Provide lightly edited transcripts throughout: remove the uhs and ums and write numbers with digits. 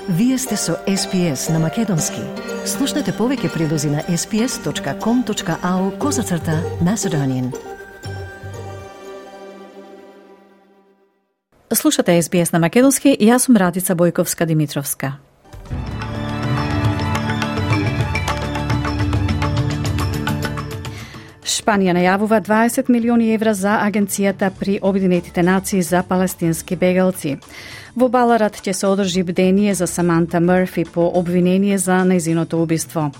Вие сте со SPS на Македонски. Слушнете повеќе прилози на sps.com.au/Macedonian. Слушате SBS на Македонски и јас сум Радица Бојковска-Димитровска. Шпанија најавува 20 милиони евра за Агенцијата при Обединетите нации за палестински бегалци. Во Баларат ќе се одржи бдение за Саманта Мърфи по обвинение за нејзиното убиство.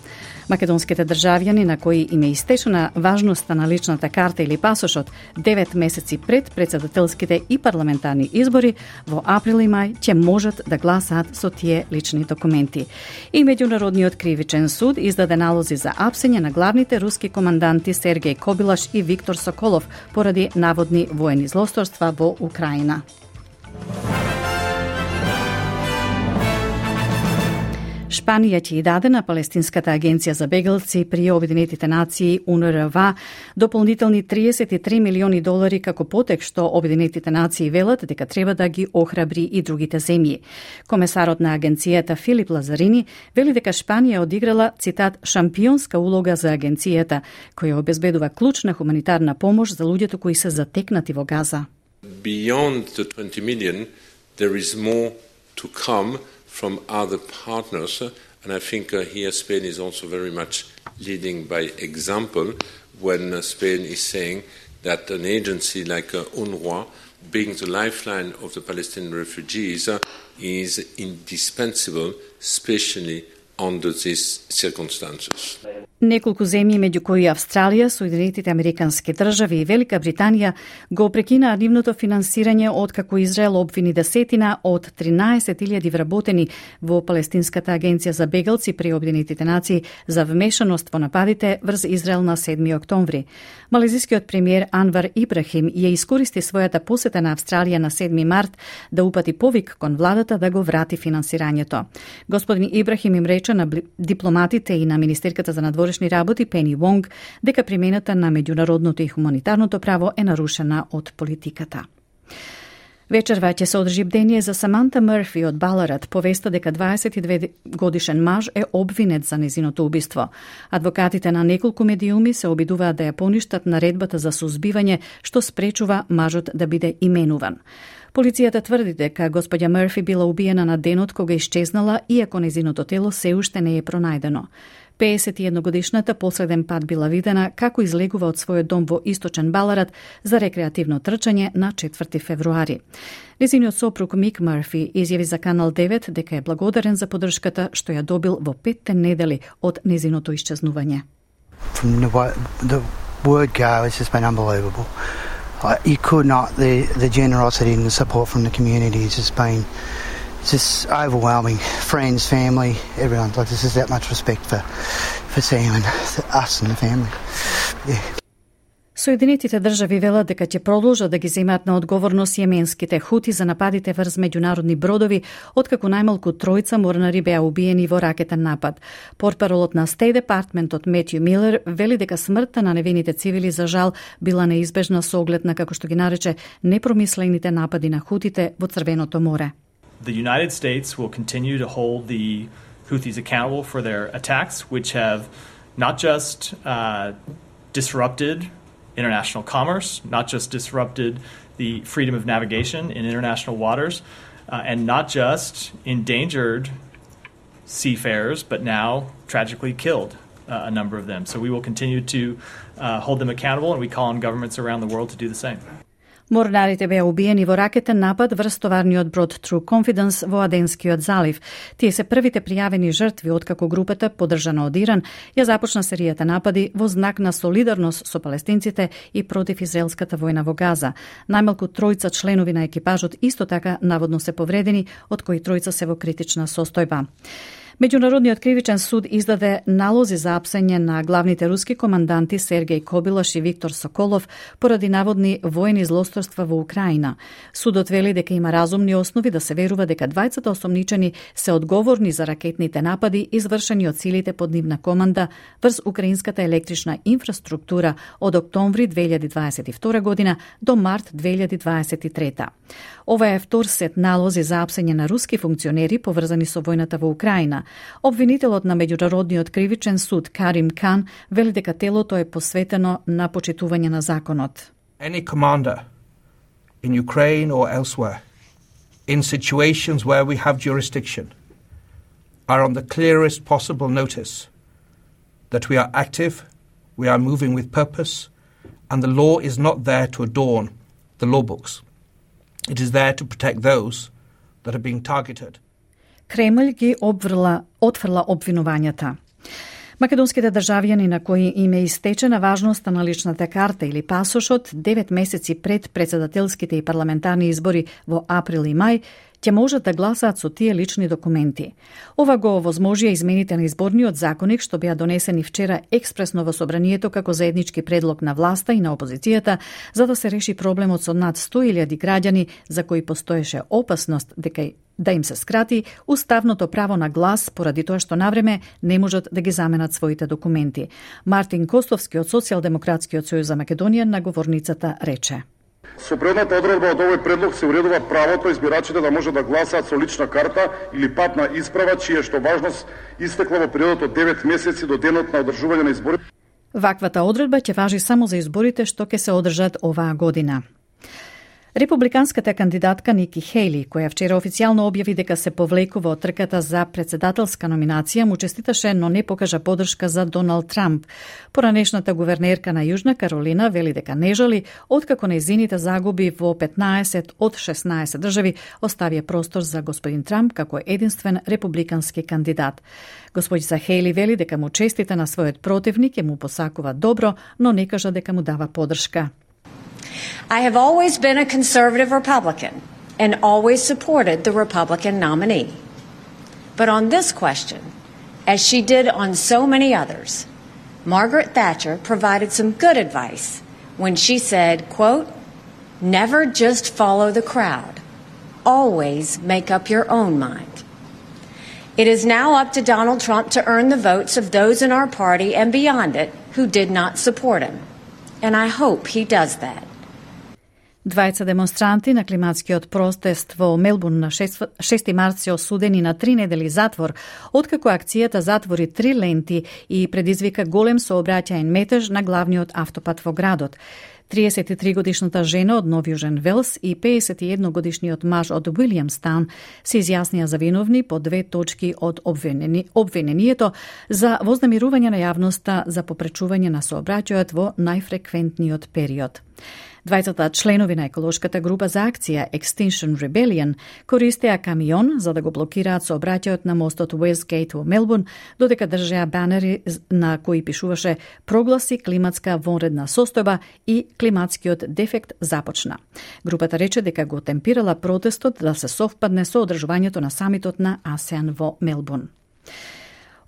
Македонските државјани на кои им е истечена важноста на личната карта или пасошот 9 месеци пред претседателските и парламентарни избори во април и мај ќе можат да гласаат со тие лични документи. И Меѓународниот кривичен суд издаде налози за апсење на главните руски команданти Сергеј Кобилаш и Виктор Соколов поради наводни воени злосторства во Украина. Шпанија ќе даде на Палестинската агенција за бегалци при Обединетите нации УНРВА дополнителни 33 милиони долари како потек што Обединетите нации велат дека треба да ги охрабри и другите земји. Комесарот на агенцијата Филип Лазарини вели дека Шпанија одиграла, цитат, шампионска улога за агенцијата, која обезбедува клучна хуманитарна помош за луѓето кои се затекнати во Газа. Beyond the 20 million, there is more to come from other partners, and I think here Spain is also very much leading by example when Spain is saying that an agency like UNRWA, being the lifeline of the Palestinian refugees, is indispensable, especially under these circumstances. Неколку земји, меѓу кои Австралија, Соединетите Американски држави и Велика Британија, го прекинаа нивното финансирање откако Израел обвини десетина од 13.000 вработени во Палестинската агенција за бегалци при Обединетите нации за вмешаност во нападите врз Израел на 7 октомври. Малезискиот премиер Анвар Ибрахим ја искористи својата посета на Австралија на 7 март да упати повик кон владата да го врати финансирањето. Господин Ибрахим им рече на дипломатите и на министерката за надворешни работи Пени Вонг дека примената на меѓународното и хуманитарното право е нарушена од политиката. Вечерва ќе се одржи бдение за Саманта Мърфи од Баларат, повеста дека 22 годишен маж е обвинет за незиното убиство. Адвокатите на неколку медиуми се обидуваат да ја поништат наредбата за сузбивање што спречува мажот да биде именуван. Полицијата тврди дека господја Мърфи била убиена на денот кога исчезнала, иако незиното тело се уште не е пронајдено. 51-годишната последен пат била видена како излегува од својот дом во источен Баларат за рекреативно трчање на 4 февруари. Незиниот сопруг Мик Мърфи изјави за Канал 9 дека е благодарен за поддршката што ја добил во 5 недели од незиното исчезнување. From the word go, it's just been unbelievable. You could not, the generosity and the support from the community has just been just overwhelming. Friends, family, everyone. Like, this is that much respect for Sam and us and the family. Yeah. Соединетите држави велат дека ќе продолжат да ги земаат на одговорност јеменските хути за нападите врз меѓународни бродови, откако најмалку 3 морнари беа убиени во ракетен напад. Портпаролот на State Departmentот Метју Милер вели дека смртта на невините цивили за жал била неизбежна со оглед на, како што ги нарече, непромислените напади на хутите во Црвеното море. The United States will continue to hold the Houthis accountable for their attacks, which have not just disrupted international commerce, not just disrupted the freedom of navigation in international waters, and not just endangered seafarers, but now tragically killed a number of them. So we will continue to hold them accountable, and we call on governments around the world to do the same. Морнарите беа убиени во ракетен напад врз товарниот брод True Confidence во Аденскиот залив. Тие се првите пријавени жртви откако групата, поддржана од Иран, ја започна серијата напади во знак на солидарност со палестинците и против израелската војна во Газа. Најмалку 3 членови на екипажот исто така наводно се повредени, од кои 3 се во критична состојба. Меѓународниот кривичен суд издаде налози за апсење на главните руски команданти Сергеј Кобилаш и Виктор Соколов поради наводни воени злосторства во Украина. Судот вели дека има разумни основи да се верува дека двајцата осомничени се одговорни за ракетните напади извршени од силите под нивна команда врз украинската електрична инфраструктура од октомври 2022 година до март 2023. Ова е втор сет налози за апсење на руски функционери поврзани со војната во Украина. Обвинителот на Меѓународниот кривичен суд Карим Кан вели дека телото е посветено на почитување на законот. Any commander in Ukraine or elsewhere in situations where we have jurisdiction are on the clearest possible notice that we are active, we are moving with purpose, and the law is not there to adorn the law books. It is there to protect those that are being targeted. Кремљ ги отфрла обвинувањата. Македонските државјани на кои им е истечена важноста на личната карта или пасошот 9 месеци пред председателските и парламентарни избори во април и мај, ќе можат да гласаат со тие лични документи. Ова го овозможија измените на изборниот законник што беа донесени вчера експресно во собранието како заеднички предлог на власта и на опозицијата за да се реши проблемот со над 100.000 граѓани за кои постоеше опасност дека да им се скрати уставното право на глас поради тоа што навреме не можат да ги заменат своите документи. Мартин Костовски од Социјалдемократскиот сојуз за Македонија на говорницата рече: Со предната одредба од овој предлог се уредува правото избирачите да може да гласаат со лична карта или патна исправа, чија што важност истекла во периодот од 9 месеци до денот на одржување на изборите. Ваквата одредба ќе важи само за изборите што ќе се одржат оваа година. Републиканската кандидатка Ники Хејли, која вчера официјално објави дека се повлекува од трката за председателска номинација, му честиташе, но не покажа поддршка за Доналд Трамп. Поранешната гувернерка на Јужна Каролина вели дека не жали, откако нејзините загуби во 15 од 16 држави оставија простор за господин Трамп како единствен републикански кандидат. Господица Хејли вели дека му честита на својот противник и му посакува добро, но не кажа дека му дава поддршка. I have always been a conservative Republican and always supported the Republican nominee. But on this question, as she did on so many others, Margaret Thatcher provided some good advice when she said, quote, "Never just follow the crowd. Always make up your own mind." It is now up to Donald Trump to earn the votes of those in our party and beyond it who did not support him. And I hope he does that. Двајца демонстранти на климатскиот протест во Мелбурн на 6 март се осудени на 3 недели затвор, откако акцијата затвори 3 ленти и предизвика голем сообраќаен метеж на главниот автопат во градот. 33-годишната жена од Нов Јужен Велс и 51-годишниот маж од Уилјамстаун се изјаснија за виновни по 2 точки од обвинението за вознемирување на јавноста за попречување на сообраќајот во најфреквентниот период. Двајцата членови на еколошката група за акција Extinction Rebellion користеа камион за да го блокираат сообраќајот на мостот Westgate во Мелбурн, додека држеа банери на кои пишуваше "Прогласи климатска вонредна состојба" и "Климатскиот дефект започна". Групата рече дека го темпирала протестот да се совпадне со одржувањето на самитот на АСЕАН во Мелбурн.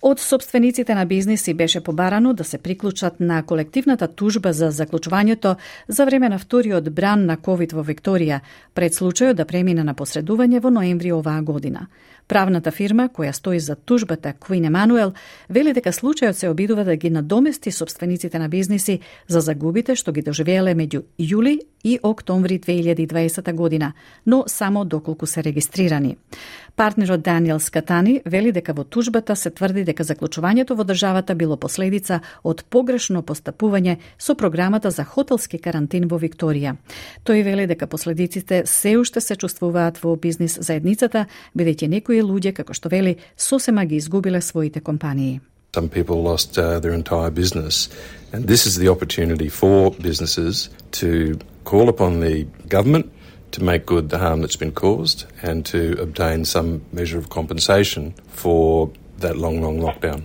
Од собствениците на бизниси беше побарано да се приклучат на колективната тужба за заклучувањето за време на вториот бран на COVID во Викторија, пред случајот да премине на посредување во ноември оваа година. Правната фирма, која стои за тужбата Queen Emanuel, вели дека случајот се обидува да ги надомести собствениците на бизниси за загубите што ги доживееле меѓу јули и октомври 2020 година, но само доколку се регистрирани. Партнерот Даниел Скатани вели дека во тужбата се тврди дека заклучувањето во државата било последица од погрешно постапување со програмата за хотелски карантин во Викторија. Тој вели дека последиците се уште се чувствуваат во бизнис заедницата, бидејќи некои луѓе, како што вели, сосема ги изгубиле своите компании. Some people lost their entire business, and this is the opportunity for businesses to call upon the government to make good the harm that's been caused and to obtain some measure of compensation for that long lockdown.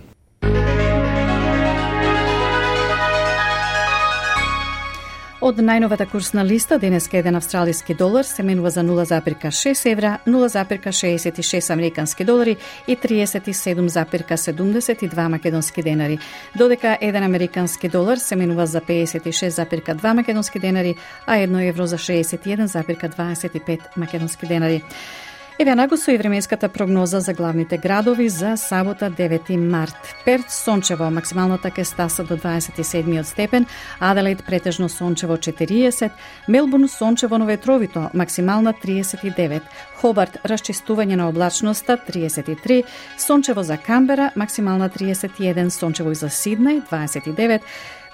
Од најновата курсна листа, денеска еден австралиски долар се менува за 0,6 евра, 0,66 американски долари и 37,72 македонски денари, додека еден американски долар се менува за 56,2 македонски денари, а 1 евро за 61,25 македонски денари. Еве нагусо и временската прогноза за главните градови за сабота 9 март. Перт сончево, максималната ќе стаса до 27 степен, Аделаид претежно сончево 40, Мелбурн сончево, но ветровито, максимална 39, Хобарт расчистување на облачноста 33, сончево за Камбера, максимална 31, сончево и за Сиднеј 29,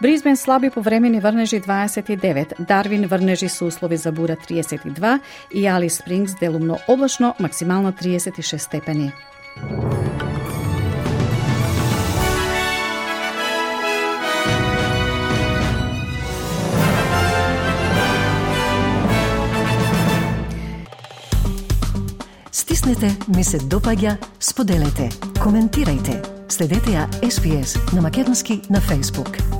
Бризбен слаби повремени врнежи 29, Дарвин врнежи со услови за бура 32 и Алис Спрингс делумно облачно, максимално 36 степени. Стиснете, ми се допаѓа, споделете, коментирајте. Следете ја SPS на Македонски на Facebook.